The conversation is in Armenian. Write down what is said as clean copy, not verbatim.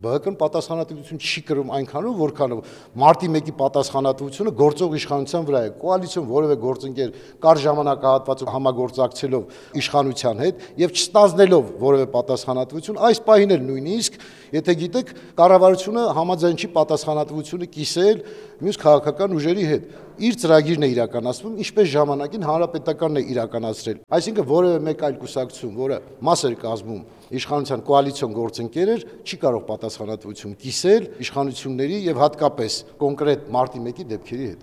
ԲՀԿ-ն պատասխանատվություն չի կրում այնքանով, որքանով մարտի 1-ի պատասխանատվությունը գործող իշխանության վրա է։ Կոալիցիոն որևէ գործընկեր կար ժամանակահատվածում համագործակցելով իշխանության հետ եւ չստանձնելով որևէ պատասխանատվություն, այս պահին էլ նույնիսկ, եթե գիտեք, կառավարությունը համաձայն չի պատասխանատվությունը կիսել մյուս քաղաքական ուժերի հետ։ Իր ծրագիրն է իրականացվում, ինչպես ժամանակին հանրապետականն է իրականացրել։ Այսինքն որևէ մեկ այլ կուսակցություն, որը մաս էր կազմում իշխանության կոալիցիոն գործընկերներ, չի կարող պատասխանատվություն կիսել իշխանությունների եւ հատկապես կոնկրետ մարտի 1-ի դեպքերի հետ։